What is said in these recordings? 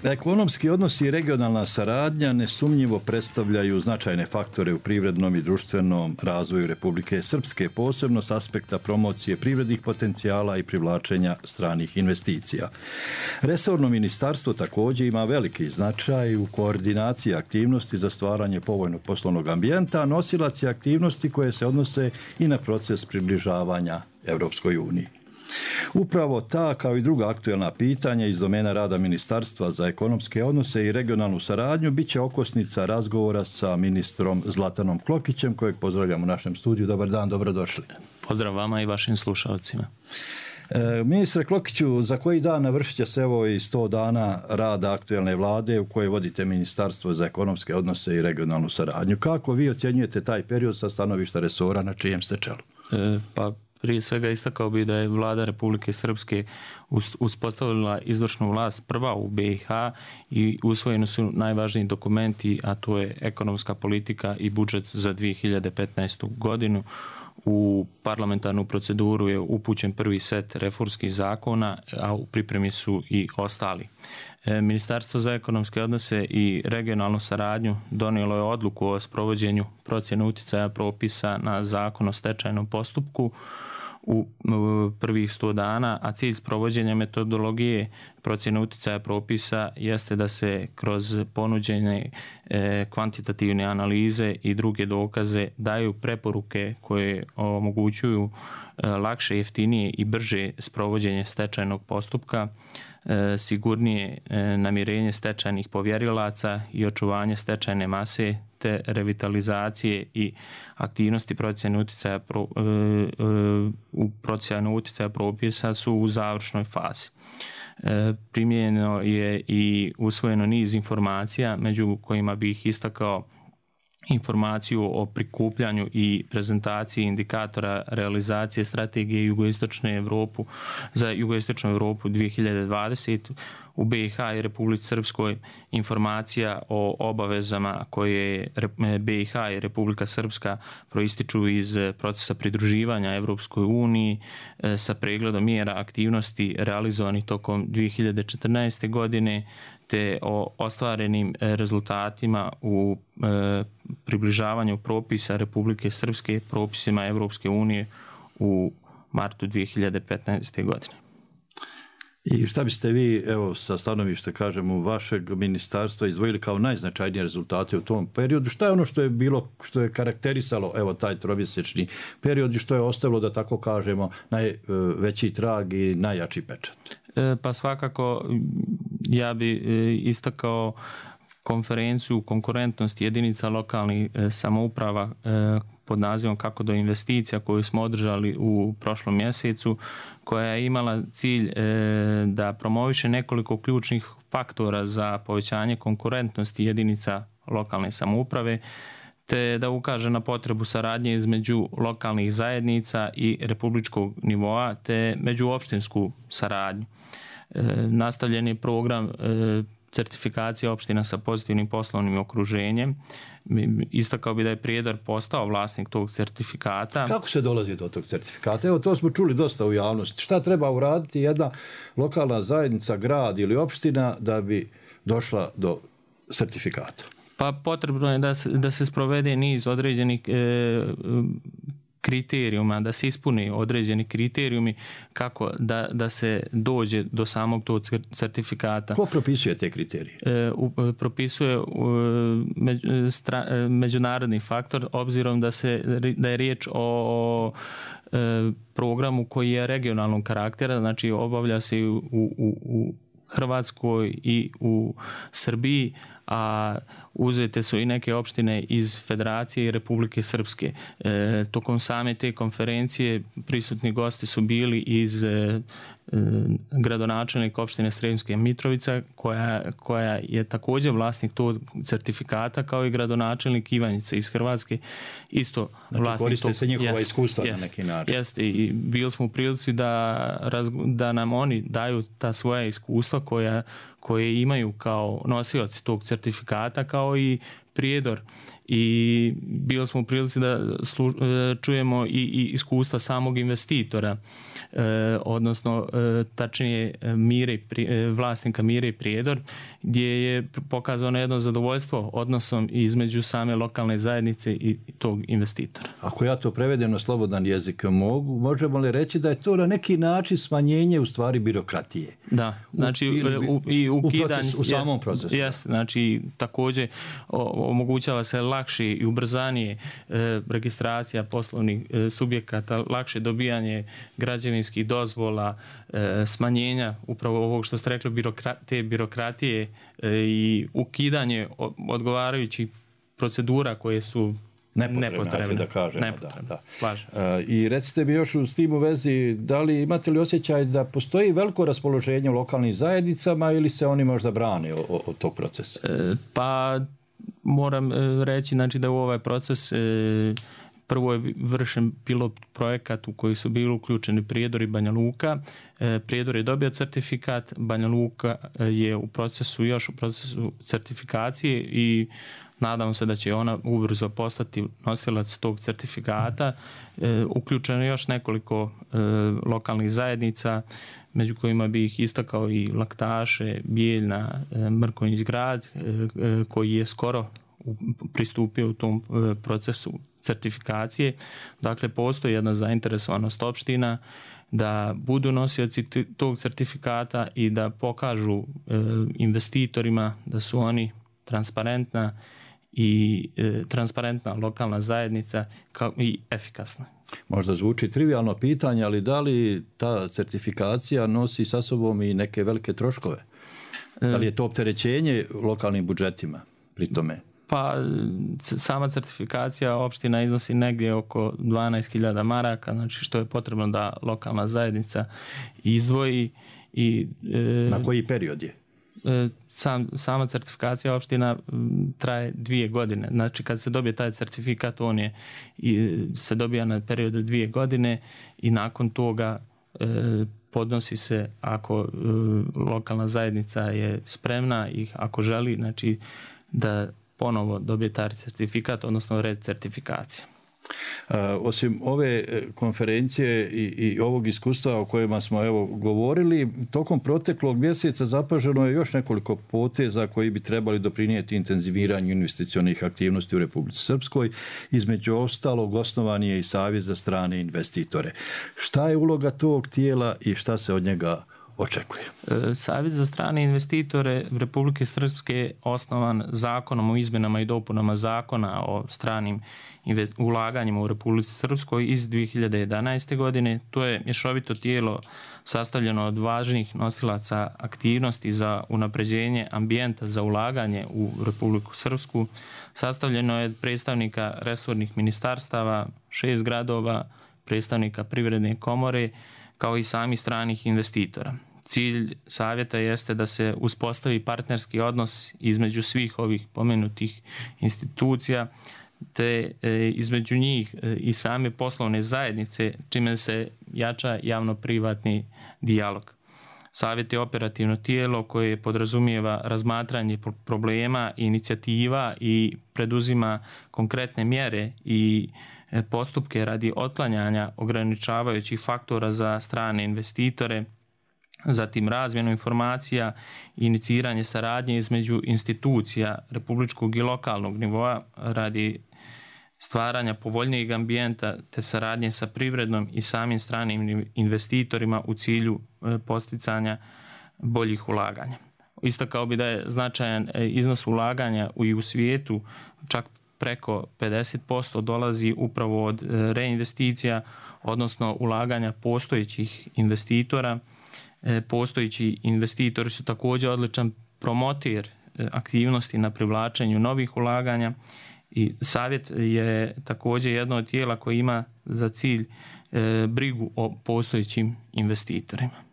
Ekonomski odnosi i regionalna saradnja nesumnjivo predstavljaju značajne faktore u privrednom i društvenom razvoju Republike Srpske, posebno s aspekta promocije privrednih potencijala i privlačenja stranih investicija. Resorno ministarstvo također ima veliki značaj u koordinaciji aktivnosti za stvaranje povoljnog poslovnog ambijenta, a nosilac je aktivnosti koje se odnose i na proces približavanja Europskoj uniji. Upravo ta, kao i druga aktuelna pitanja iz domena rada Ministarstva za ekonomske odnose i regionalnu saradnju, bit će okosnica razgovora sa ministrom Zlatanom Klokićem, kojeg pozdravljam u našem studiju. Dobar dan, dobrodošli. Pozdrav vama i vašim slušalcima. Ministre Klokiću, za koji dan navršit će se evo i 100 dana rada aktuelne vlade u kojoj vodite Ministarstvo za ekonomske odnose i regionalnu saradnju. Kako vi ocjenjujete taj period sa stanovišta resora na čijem ste čelu? Prije svega istakao bi da je vlada Republike Srpske uspostavila izvršnu vlast prva u BiH i usvojeni su najvažniji dokumenti, a to je ekonomska politika i budžet za 2015. godinu. U parlamentarnu proceduru je upućen prvi set reformskih zakona, a u pripremi su i ostali. Ministarstvo za ekonomske odnose i regionalnu saradnju donijelo je odluku o sprovođenju procjene utjecaja propisa na zakon o stečajnom postupku u prvih 100 dana, a cilj sprovođenja metodologije procjene utjecaja propisa jeste da se kroz ponuđene kvantitativne analize i druge dokaze daju preporuke koje omogućuju lakše, jeftinije i brže sprovođenje stečajnog postupka, sigurnije namirenje stečajnih povjerilaca i očuvanje stečajne mase te revitalizacije i aktivnosti procjene utjecaja u procjenu utjecaja propisa su u završnoj fazi. Primijenjeno je i usvojeno niz informacija, među kojima bih istakao informaciju o prikupljanju i prezentaciji indikatora realizacije strategije za jugoistočnu Europu 2020. U BiH i Republici Srpskoj informacija o obavezama koje BiH i Republika Srpska proističu iz procesa pridruživanja Europskoj uniji sa pregledom mjera aktivnosti realizovanih tokom 2014. godine te o ostvarenim rezultatima u približavanju propisa Republike Srpske propisima Europske unije u martu 2015. godine. I šta biste vi, evo, sa stanovišta, kažemo, vašeg ministarstva izdvojili kao najznačajnije rezultate u tom periodu? Šta je ono što je bilo, što je karakterisalo, evo, taj tromjesečni period i što je ostavilo, da tako kažemo, najveći trag i najjači pečat? Pa svakako ja bi istakao konferenciju konkurentnosti jedinica lokalnih samouprava pod nazivom Kako do investicija koju smo održali u prošlom mjesecu, koja je imala cilj da promoviše nekoliko ključnih faktora za povećanje konkurentnosti jedinica lokalne samouprave, te da ukaže na potrebu saradnje između lokalnih zajednica i republičkog nivoa, te međuopštinsku saradnju. Nastavljen je program certifikacije opština sa pozitivnim poslovnim okruženjem. Istakao bi da je Prijedor postao vlasnik tog certifikata. Kako se dolazi do tog certifikata? Evo, to smo čuli dosta u javnosti. Šta treba uraditi jedna lokalna zajednica, grad ili opština da bi došla do certifikata? Pa potrebno je da se sprovede niz određenih kriterijuma, da se ispuni određeni kriterijumi kako da se dođe do samog tog certifikata. Ko propisuje te kriterije? Propisuje međunarodni faktor, obzirom da je riječ o programu koji je regionalnog karaktera, znači obavlja se u Hrvatskoj i u Srbiji, a uzete su i neke opštine iz Federacije i Republike Srpske. Tokom same te konferencije prisutni gosti su bili iz gradonačelnika opštine Sremska Mitrovica, koja je također vlasnik tog certifikata, kao i gradonačelnik Ivanjice iz Hrvatske, isto znači, vlasnik tog. Koriste se njihova iskustva na neki način. Jeste, i bili smo u prilici da nam oni daju ta svoja iskustva koje imaju kao nosioci tog certifikata, kao i Prijedor i bili smo u prilici da čujemo i iskustva samog investitora, odnosno tačnije vlasnika Mire i Prijedor, gdje je pokazano jedno zadovoljstvo odnosom između same lokalne zajednice i tog investitora. Ako ja to prevedem na slobodan jezik, možemo li reći da je to na neki način smanjenje u stvari birokratije? Da, znači i ukidanje u samom procesu. Jeste, znači također omogućava se lakše i ubrzanije registracija poslovnih subjekata, lakše dobijanje građevinskih dozvola, smanjenja upravo ovog što ste rekli te birokratije i ukidanje odgovarajućih procedura koje su nepotrebne. Da kažemo, nepotrebne. Da. I recite mi još s tim u vezi, da li imate li osjećaj da postoji veliko raspoloženje u lokalnim zajednicama ili se oni možda brane od tog procesa? Pa moram reći, znači, da u ovaj proces prvo je vršen pilot projekat u koji su bili uključeni Prijedor i Banja Luka. Prijedor je dobio certifikat, Banja Luka je u procesu certifikacije i nadam se da će ona ubrzo postati nosilac tog certifikata. Uključeno je još nekoliko lokalnih zajednica, među kojima bi ih istakao i Laktaše, Bijeljna, Mrkonjić grad, koji je skoro pristupio u tom procesu certifikacije. Dakle, postoji jedna zainteresovanost opština da budu nosioci tog certifikata i da pokažu investitorima da su oni transparentna lokalna zajednica i efikasna. Možda zvuči trivijalno pitanje, ali da li ta certifikacija nosi sa sobom i neke velike troškove? Da li je to opterećenje lokalnim budžetima pri tome? Pa sama certifikacija opština iznosi negdje oko 12.000 maraka, znači što je potrebno da lokalna zajednica izdvoji. Na koji period je? Sama certifikacija opština traje 2 godine. Znači kad se dobije taj certifikat, se dobija na period 2 godine i nakon toga podnosi se, ako lokalna zajednica je spremna i ako želi, znači da ponovo dobije taj certifikat, odnosno red certifikacije. Osim ove konferencije i ovog iskustva o kojima smo govorili, tokom proteklog mjeseca zapaženo je još nekoliko poteza koji bi trebali doprinijeti intenziviranju investicionih aktivnosti u Republici Srpskoj. Između ostalog, osnovan je i Savjet za strane investitore. Šta je uloga tog tijela i šta se od njega očekuje? Savjet za strane investitore Republike Srpske je osnovan zakonom o izmjenama i dopunama zakona o stranim ulaganjima u Republici Srpskoj iz 2011. godine. To je mješovito tijelo sastavljeno od važnih nosilaca aktivnosti za unapređenje ambijenta za ulaganje u Republiku Srpsku. Sastavljeno je od predstavnika resornih ministarstava, 6 gradova, predstavnika Privredne komore, kao i sami stranih investitora. Cilj savjeta jeste da se uspostavi partnerski odnos između svih ovih pomenutih institucija, te između njih i same poslovne zajednice, čime se jača javno-privatni dijalog. Savjet je operativno tijelo koje podrazumijeva razmatranje problema i inicijativa i preduzima konkretne mjere i postupke radi otklanjanja ograničavajućih faktora za strane investitore, zatim razmjenu informacija i iniciranje saradnje između institucija republičkog i lokalnog nivoa radi stvaranja povoljnijeg ambijenta te saradnje sa privrednom i samim stranim investitorima u cilju posticanja boljih ulaganja. Istakao bi da je značajan iznos ulaganja i u svijetu, čak preko 50% dolazi upravo od reinvesticija, odnosno ulaganja postojećih investitora. Postojeći investitori su također odličan promotir aktivnosti na privlačenju novih ulaganja i savjet je također jedno od tijela koje ima za cilj brigu o postojećim investitorima.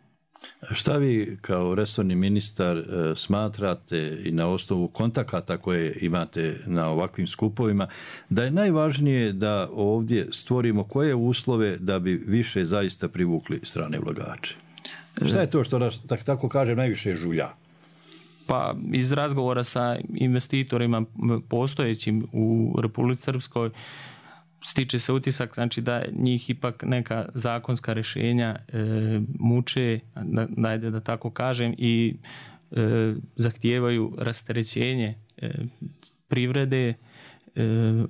Šta vi kao resorni ministar smatrate i na osnovu kontakata koje imate na ovakvim skupovima da je najvažnije da ovdje stvorimo koje uslove da bi više zaista privukli strane ulagače? Šta je to što nas, tako kažem, najviše žulja? Pa iz razgovora sa investitorima postojećim u Republici Srpskoj stiče se utisak, znači da njih ipak neka zakonska rješenja muče, da tako kažem, i zahtijevaju rasterećenje privrede,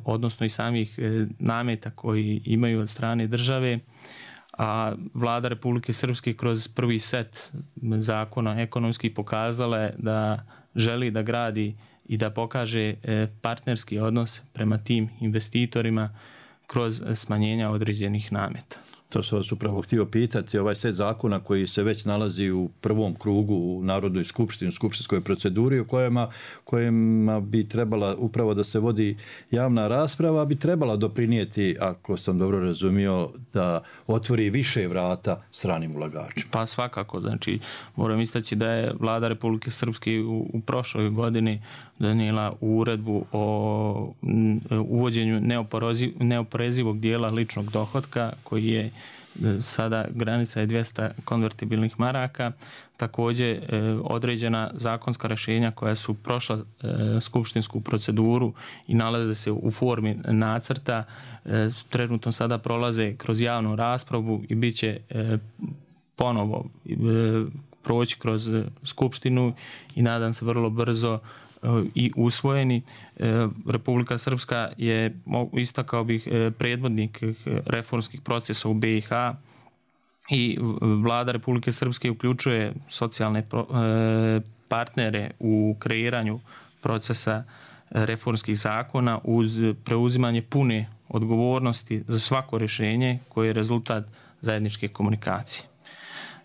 odnosno i samih nameta koji imaju od strane države, a vlada Republike Srpske kroz prvi set zakona ekonomski pokazala je da želi da gradi i da pokaže partnerski odnos prema tim investitorima kroz smanjenja određenih nameta. To sam vas upravo htio pitati, ovaj set zakona koji se već nalazi u prvom krugu u Narodnoj skupštini, u skupštinskoj proceduri, u kojima bi trebala upravo da se vodi javna rasprava, bi trebala doprinijeti, ako sam dobro razumio, da otvori više vrata stranim ulagačima. Pa svakako, znači moram istaći da je vlada Republike Srpske u prošloj godini donijela uredbu o uvođenju neoporezivog dijela ličnog dohotka koji je sada granica je 200 konvertibilnih maraka. Također određena zakonska rješenja koja su prošla skupštinsku proceduru i nalaze se u formi nacrta, trenutno sada prolaze kroz javnu raspravu i bit će ponovo proći kroz skupštinu i nadam se vrlo brzo i usvojeni. Republika Srpska je, istakao bih, predvodnik reformskih procesa u BiH i vlada Republike Srpske uključuje socijalne partnere u kreiranju procesa reformskih zakona uz preuzimanje pune odgovornosti za svako rješenje koje je rezultat zajedničke komunikacije.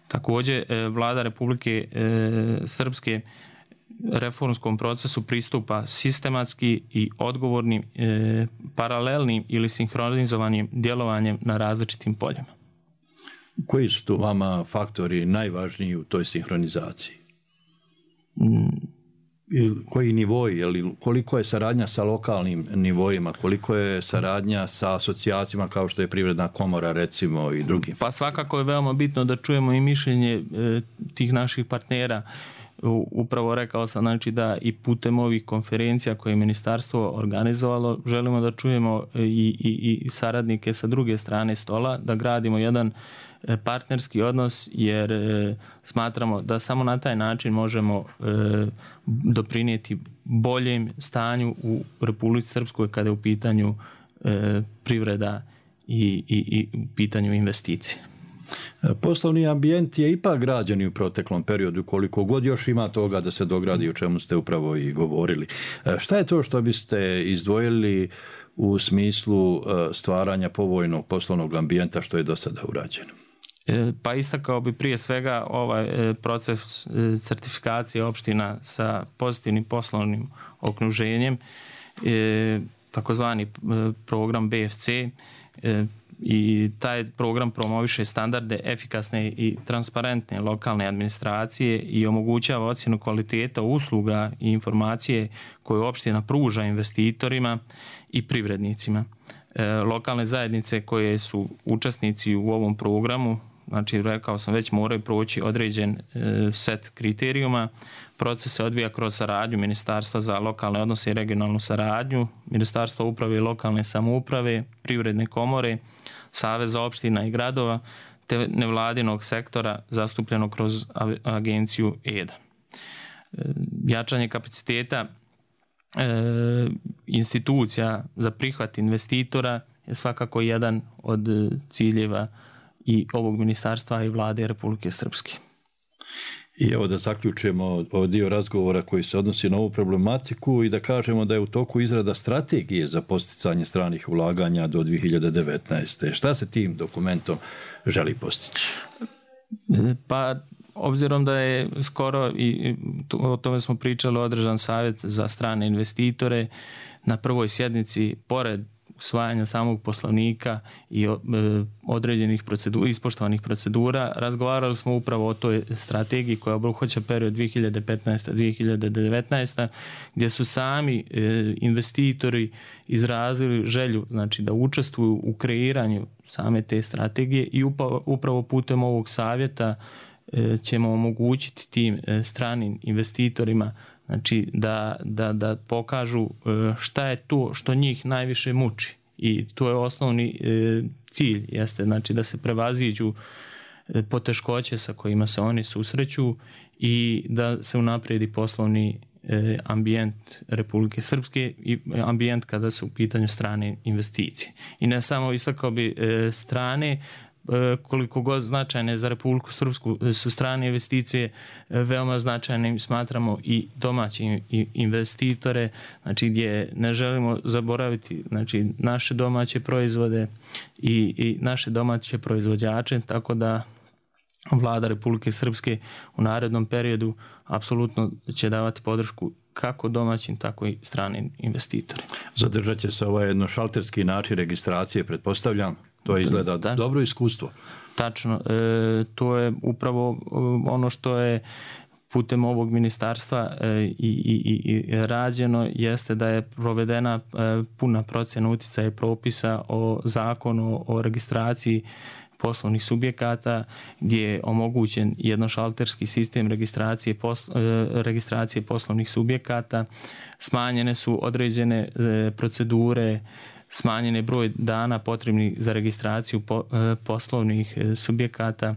Također, vlada Republike Srpske reformskom procesu pristupa sistematski i odgovornim, paralelnim ili sinhronizovanim djelovanjem na različitim poljima. Koji su tu vama faktori najvažniji u toj sinhronizaciji? Koji nivoi, koliko je saradnja sa lokalnim nivoima, koliko je saradnja sa asocijacijama kao što je Privredna komora recimo i drugim? Pa svakako je veoma bitno da čujemo i mišljenje tih naših partnera. Upravo rekao sam, znači, da i putem ovih konferencija koje je ministarstvo organizovalo želimo da čujemo i saradnike sa druge strane stola, da gradimo jedan partnerski odnos, jer smatramo da samo na taj način možemo doprinijeti boljem stanju u Republici Srpskoj kada je u pitanju privreda i u pitanju investicije. Poslovni ambijent je ipak građen i u proteklom periodu, koliko god još ima toga da se dogradi, o čemu ste upravo i govorili. Šta je to što biste izdvojili u smislu stvaranja povoljnog poslovnog ambijenta što je do sada urađeno? Pa istakao bi prije svega ovaj proces certifikacije opština sa pozitivnim poslovnim okruženjem, takozvani program BFC, i taj program promoviše standarde efikasne i transparentne lokalne administracije i omogućava ocjenu kvaliteta usluga i informacije koje opština pruža investitorima i privrednicima. Lokalne zajednice koje su učesnici u ovom programu, znači rekao sam već, moraju proći određen set kriterijuma. Proces se odvija kroz saradnju Ministarstva za lokalne odnose i regionalnu saradnju, Ministarstva uprave i lokalne samouprave, Privredne komore, Saveza opština i gradova, te nevladinog sektora zastupljenog kroz agenciju EDA. Jačanje kapaciteta institucija za prihvat investitora je svakako jedan od ciljeva i ovog ministarstva i vlade Republike Srpske. I evo da zaključujemo ovaj dio razgovora koji se odnosi na ovu problematiku i da kažemo da je u toku izrada strategije za posticanje stranih ulaganja do 2019. Šta se tim dokumentom želi postići? Pa obzirom da je skoro, i o tome smo pričali, održan savjet za strane investitore, na prvoj sjednici, pored usvajanja samog poslovnika i određenih ispoštovanih procedura, razgovarali smo upravo o toj strategiji koja obuhvaća period 2015-2019, gdje su sami investitori izrazili želju, znači, da učestvuju u kreiranju same te strategije i upravo putem ovog savjeta ćemo omogućiti tim stranim investitorima, znači da pokažu šta je to što njih najviše muči. I to je osnovni cilj, jeste znači da se prevaziđu poteškoće sa kojima se oni susreću i da se unaprijedi poslovni ambijent Republike Srpske i ambijent kada su u pitanju strane investicije. I ne samo istakao bi strane, koliko god značajne za Republiku Srpsku su strane investicije, veoma značajnim smatramo i domaće investitore, znači gdje ne želimo zaboraviti znači naše domaće proizvode i naše domaće proizvođače, tako da Vlada Republike Srpske u narednom periodu apsolutno će davati podršku kako domaćim, tako i stranim investitorima. Zadržat će se ovaj jednošalterski način registracije, pretpostavljam. To izgleda dobro iskustvo. Tačno. To je upravo ono što je putem ovog ministarstva i rađeno, jeste da je provedena puna procjena uticaja utjecaja propisa o zakonu o registraciji poslovnih subjekata, gdje je omogućen jednošalterski sistem registracije poslovnih subjekata, smanjene su određene procedure, smanjen je broj dana potrebnih za registraciju poslovnih subjekata,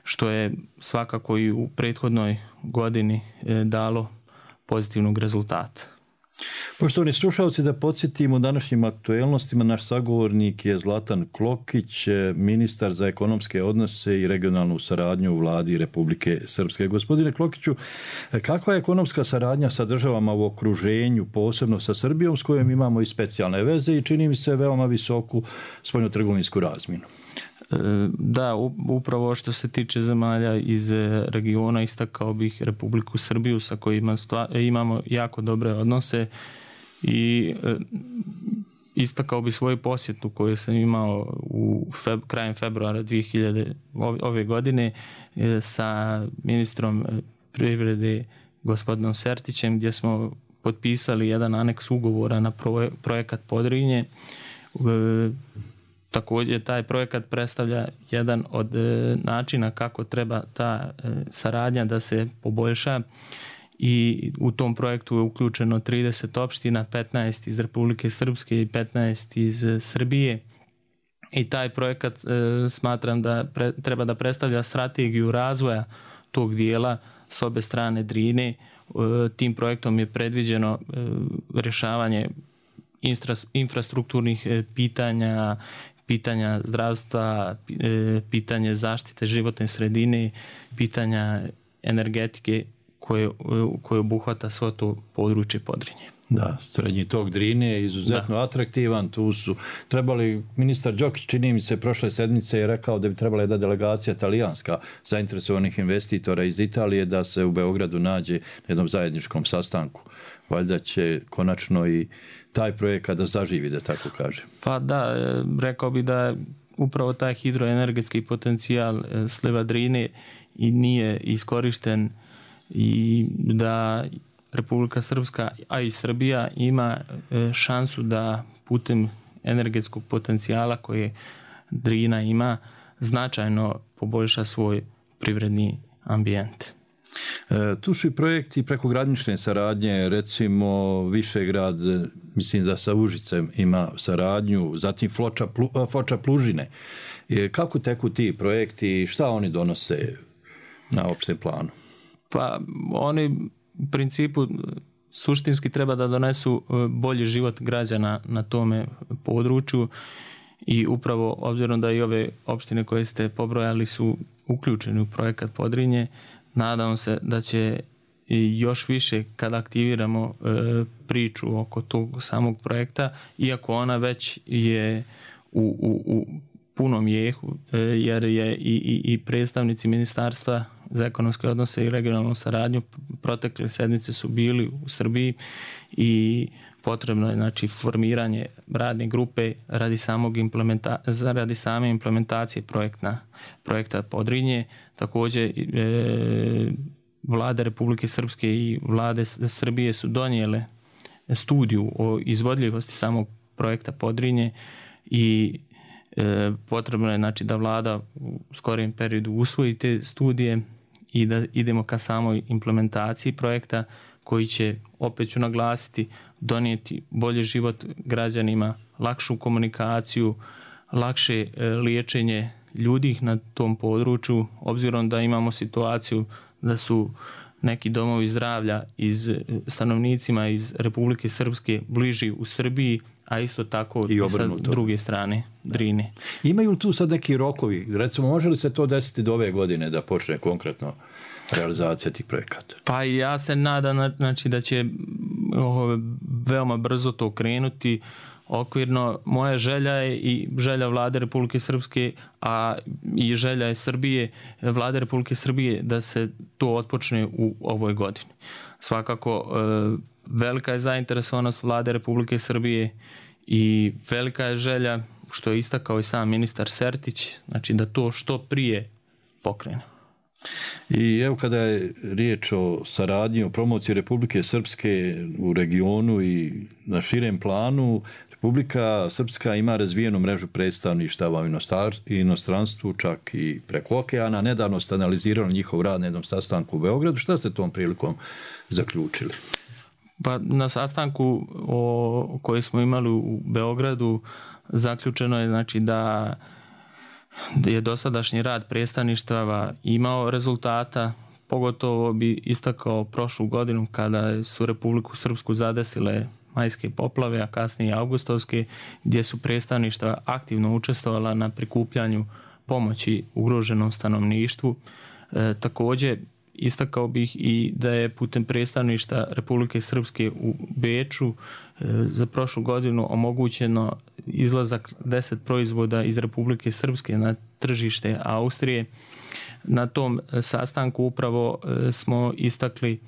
što je svakako i u prethodnoj godini dalo pozitivnog rezultata. Poštovani slušalci, da podsjetim u današnjim aktuelnostima, naš sagovornik je Zlatan Klokić, ministar za ekonomske odnose i regionalnu saradnju u Vladi Republike Srpske. Gospodine Klokiću, kakva je ekonomska saradnja sa državama u okruženju, posebno sa Srbijom, s kojom imamo i specijalne veze i čini mi se veoma visoku spoljnotrgovinsku razmjenu? Da, upravo što se tiče zemalja iz regiona, istakao bih Republiku Srbiju sa kojima imamo jako dobre odnose i istakao bih svoju posjetu koju sam imao krajem februara ove godine sa ministrom privrede gospodinom Sertićem, gdje smo potpisali jedan aneks ugovora na projekat Podrinje. Također taj projekat predstavlja jedan od načina kako treba ta saradnja da se poboljša i u tom projektu je uključeno 30 opština, 15 iz Republike Srpske i 15 iz Srbije. I taj projekat smatram da treba da predstavlja strategiju razvoja tog dijela s obe strane Drine. Tim projektom je predviđeno rješavanje infrastrukturnih pitanja zdravstva, pitanje zaštite životne sredine, pitanja energetike koje obuhvata svo to područje Podrinje. Da, srednji tok Drine je izuzetno atraktivan. Tu su trebali, ministar Đokić, čini mi se, prošle sedmice je rekao da bi trebala jedna delegacija talijanska zainteresovanih investitora iz Italije da se u Beogradu nađe na jednom zajedničkom sastanku. Valjda će konačno i taj projekat da zaživi, da tako kažem. Pa da, rekao bi da upravo taj hidroenergetski potencijal sliva Drine i nije iskorišten i da Republika Srpska, a i Srbija ima šansu da putem energetskog potencijala koje Drina ima značajno poboljša svoj privredni ambijent. Tu su i projekti prekogranične saradnje, recimo Višegrad, mislim da sa Užicem ima saradnju, zatim Foča Plužine. Kako teku ti projekti i šta oni donose na opštem planu? Pa oni u principu suštinski treba da donesu bolji život građana na tome području i upravo obzirom da i ove opštine koje ste pobrojali su uključeni u projekat Podrinje, nadam se da će još više kada aktiviramo priču oko tog samog projekta, iako ona već je u punom jehu, jer je i predstavnici Ministarstva za ekonomske odnose i regionalnu saradnju protekle sedmice su bili u Srbiji i potrebno je znači formiranje radne grupe radi same implementacije projekta Podrinje. Također vlade Republike Srpske i vlade Srbije su donijele studiju o izvodljivosti samog projekta Podrinje i potrebno je znači da vlada u skorijem periodu usvoji te studije i da idemo ka samoj implementaciji projekta koji će, opet ću naglasiti, donijeti bolji život građanima, lakšu komunikaciju, lakše liječenje ljudi na tom području, obzirom da imamo situaciju da su neki domovi zdravlja stanovnicima iz Republike Srpske bliži u Srbiji, a isto tako i sa druge strane Drine. Imaju li tu sad neki rokovi? Recimo, može li se to desiti do ove godine da počne konkretno realizacija tih projekata? Pa ja se nadam, znači, da će veoma brzo to krenuti. Okvirno, moja želja je i želja Vlade Republike Srpske, a i želja je Srbije, Vlade Republike Srbije, da se to otpočne u ovoj godini. Svakako, velika je zainteresovanost Vlade Republike Srbije i velika je želja, što je istakao i sam ministar Sertić, znači da to što prije pokrene. I evo, kada je riječ o saradnji, o promociji Republike Srpske u regionu i na širem planu, Republika Srpska ima razvijenu mrežu predstavništava u inostranstvu, čak i preko okeana. Nedavno ste analizirali njihov rad na jednom sastanku u Beogradu. Šta ste tom prilikom zaključili? Pa na sastanku koji smo imali u Beogradu zaključeno je, znači, da je dosadašnji rad predstavništava imao rezultata. Pogotovo bi istakao prošlu godinu kada su Republiku Srpsku zadesile majske poplave, a kasnije augustovske, gdje su predstavništva aktivno učestvovala na prikupljanju pomoći ugroženom stanovništvu. Također istakao bih i da je putem predstavništva Republike Srpske u Beču za prošlu godinu omogućeno izlazak 10 proizvoda iz Republike Srpske na tržište Austrije. Na tom sastanku upravo smo istakli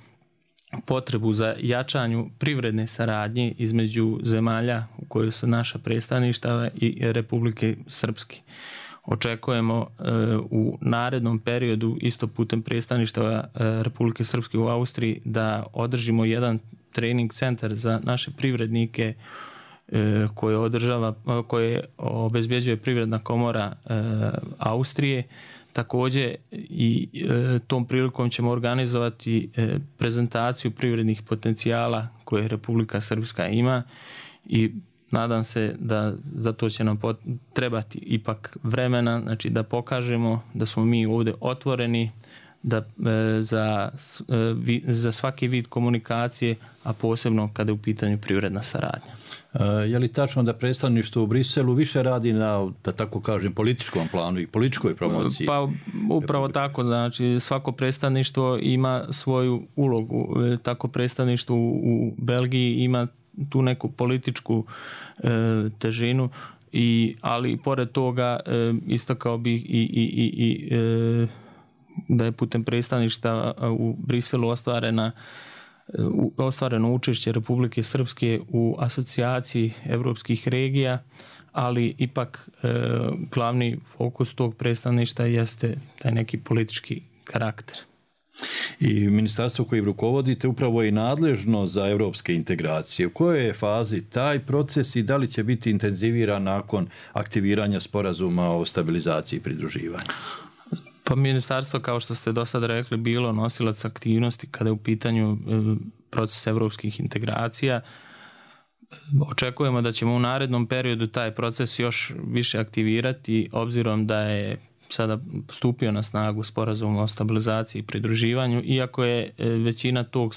potrebu za jačanju privredne saradnje između zemalja u kojoj su naša predstavništva i Republike Srpske. Očekujemo u narednom periodu, isto putem predstavništva Republike Srpske u Austriji, da održimo jedan trening centar za naše privrednike koje obezbjeđuje Privredna komora Austrije. Također i tom prilikom ćemo organizovati prezentaciju privrednih potencijala koje Republika Srpska ima i nadam se da za to će nam trebati ipak vremena, znači da pokažemo da smo mi ovdje otvoreni da za svaki vid komunikacije, a posebno kada je u pitanju privredna saradnja. Je li tačno da predstavništvo u Briselu više radi na, da tako kažem, političkom planu i političkoj promociji? Pa upravo tako, znači svako predstavništvo ima svoju ulogu. Tako predstavništvo u Belgiji ima tu neku političku težinu, ali pored toga istakao bih i da je putem predstavništva u Briselu ostvareno učešće Republike Srpske u asocijaciji evropskih regija, ali ipak glavni fokus tog predstavništva jeste taj neki politički karakter. I ministarstvo koje rukovodite upravo je nadležno za evropske integracije. U kojoj je fazi taj proces i da li će biti intenziviran nakon aktiviranja sporazuma o stabilizaciji i pridruživanju? Pa ministarstvo, kao što ste do sada rekli, bilo nosilac aktivnosti kada je u pitanju proces evropskih integracija. Očekujemo da ćemo u narednom periodu taj proces još više aktivirati, obzirom da je sada stupio na snagu sporazum o stabilizaciji i pridruživanju, iako je većina tog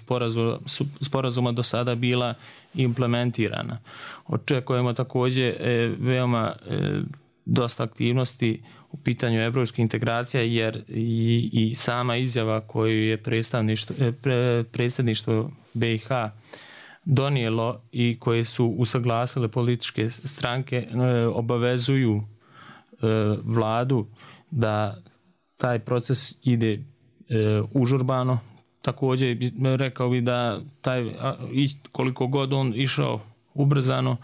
sporazuma do sada bila implementirana. Očekujemo također veoma dosta aktivnosti u pitanju evropskih integracija, jer i sama izjava koju je predsjedništvo BiH donijelo i koje su usaglasile političke stranke obavezuju vladu da taj proces ide užurbano. Također rekao bi da koliko god on išao ubrzano,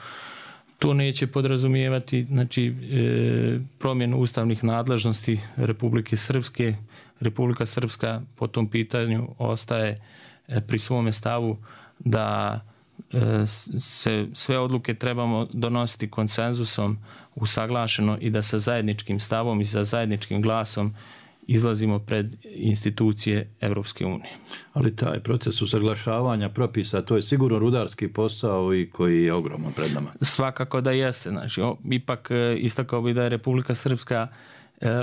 to neće podrazumijevati, znači, promjenu ustavnih nadležnosti Republike Srpske. Republika Srpska po tom pitanju ostaje pri svome stavu da se sve odluke trebamo donositi konsenzusom, usaglašeno, i da sa zajedničkim stavom i sa zajedničkim glasom izlazimo pred institucije Europske unije. Ali taj proces usaglašavanja propisa, to je sigurno rudarski posao i koji je ogroman pred nama. Svakako da jeste. Znači, ipak istakao bi da je Republika Srpska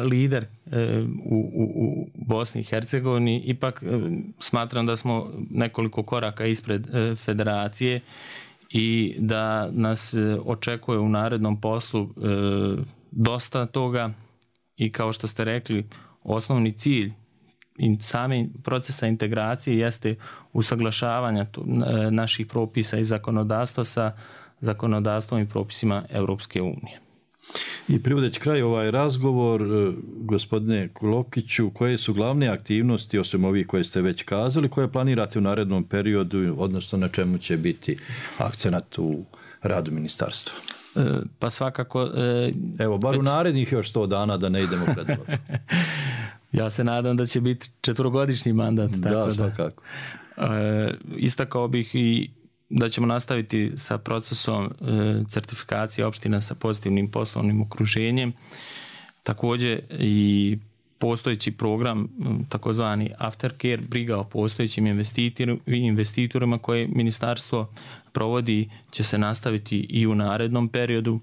lider u Bosni i Hercegovini. Ipak smatram da smo nekoliko koraka ispred federacije i da nas očekuje u narednom poslu dosta toga i kao što ste rekli, osnovni cilj i sami procesa integracije jeste usaglašavanja naših propisa i zakonodavstva sa zakonodavstvom i propisima Europske unije. I privodeći kraj ovaj razgovor, gospodine Klokiću, koje su glavne aktivnosti, osim ovih koje ste već kazali, koje planirate u narednom periodu, odnosno na čemu će biti akcenat u radu ministarstva? Pa svakako... Evo, bar u narednih još 100 dana da ne idemo predlog. Ja se nadam da će biti 4-godišnji mandat. Da, svakako. Istakao bih i da ćemo nastaviti sa procesom certifikacije opština sa pozitivnim poslovnim okruženjem. Također i postojeći program, takozvani aftercare, briga o postojećim investitorima koje ministarstvo provodi, će se nastaviti i u narednom periodu.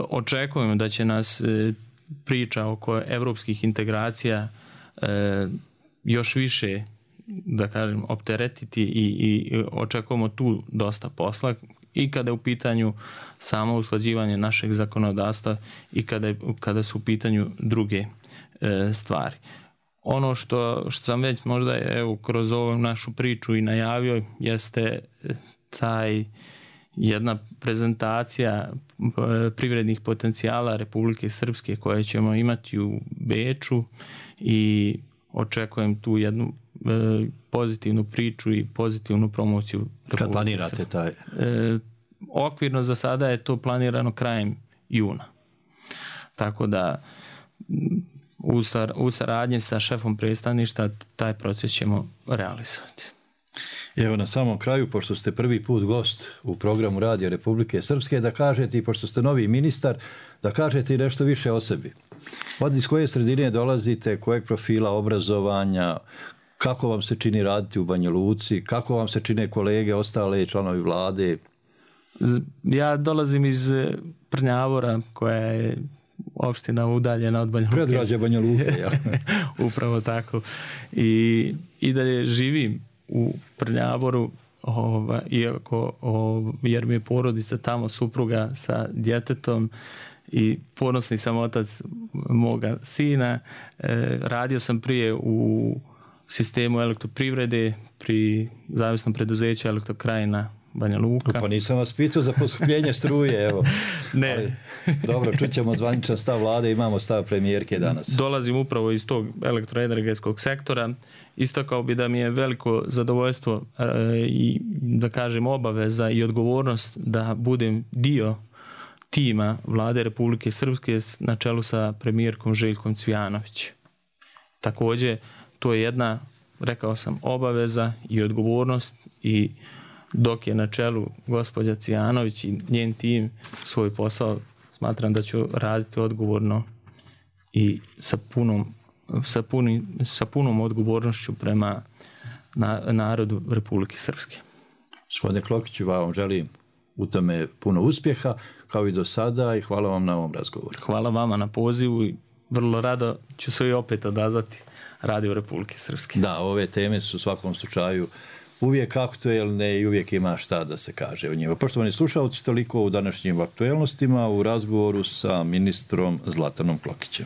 Očekujemo da će nas priča oko evropskih integracija još više, da kažem, opteretiti i očekujemo tu dosta posla i kada je u pitanju samo usklađivanje našeg zakonodavstva i kada su u pitanju druge stvari. Ono što sam već možda kroz ovu našu priču i najavio jeste taj jedna prezentacija privrednih potencijala Republike Srpske koje ćemo imati u Beču i očekujem tu jednu pozitivnu priču i pozitivnu promociju. Kad planirate taj? Okvirno za sada je to krajem juna. Tako da u saradnji sa šefom predstavništva taj proces ćemo realizovati. Evo na samom kraju, pošto ste prvi put gost u programu Radija Republike Srpske, da kažete, i pošto ste novi ministar, da kažete i nešto više o sebi. Iz koje sredine dolazite, kojeg profila obrazovanja, kako vam se čini raditi u Banja Luci, kako vam se čine kolege, ostale članovi vlade? Ja dolazim iz Prnjavora, koja je opština udaljena od Banja Luke. Predgrađe Banja Luke, ja. Upravo tako. I dalje živim u Prnjavoru, jer mi je porodica tamo, supruga sa djetetom i ponosni sam otac moga sina. Radio sam prije u sistemu elektroprivrede pri zavisnom preduzeću Elektrokrajina Banja Luka. Pa nisam vas pitao za poskupljenje struje, evo. Ne. Ali, dobro, čućemo zvaničan stav vlade, imamo stav premijerke danas. Dolazim upravo iz tog elektroenergetskog sektora. Istakao bi da mi je veliko zadovoljstvo i da kažem obaveza i odgovornost da budem dio tima vlade Republike Srpske na čelu sa premijerkom Željkom Cvijanović. Također, to je jedna, rekao sam, obaveza i odgovornost i dok je na čelu gospođa Cvijanović i njen tim svoj posao, smatram da ću raditi odgovorno i sa punom odgovornošću prema narodu Republike Srpske. Gospodine Klokiću, vam želim u tome puno uspjeha, kao i do sada, i hvala vam na ovom razgovoru. Hvala vama na pozivu i vrlo rado ću se i opet odazvati Radio Republike Srpske. Da, ove teme su u svakom slučaju uvijek aktuelne i uvijek ima šta da se kaže o njima. Poštovani slušalci, toliko u današnjim aktuelnostima u razgovoru sa ministrom Zlatanom Klokićem.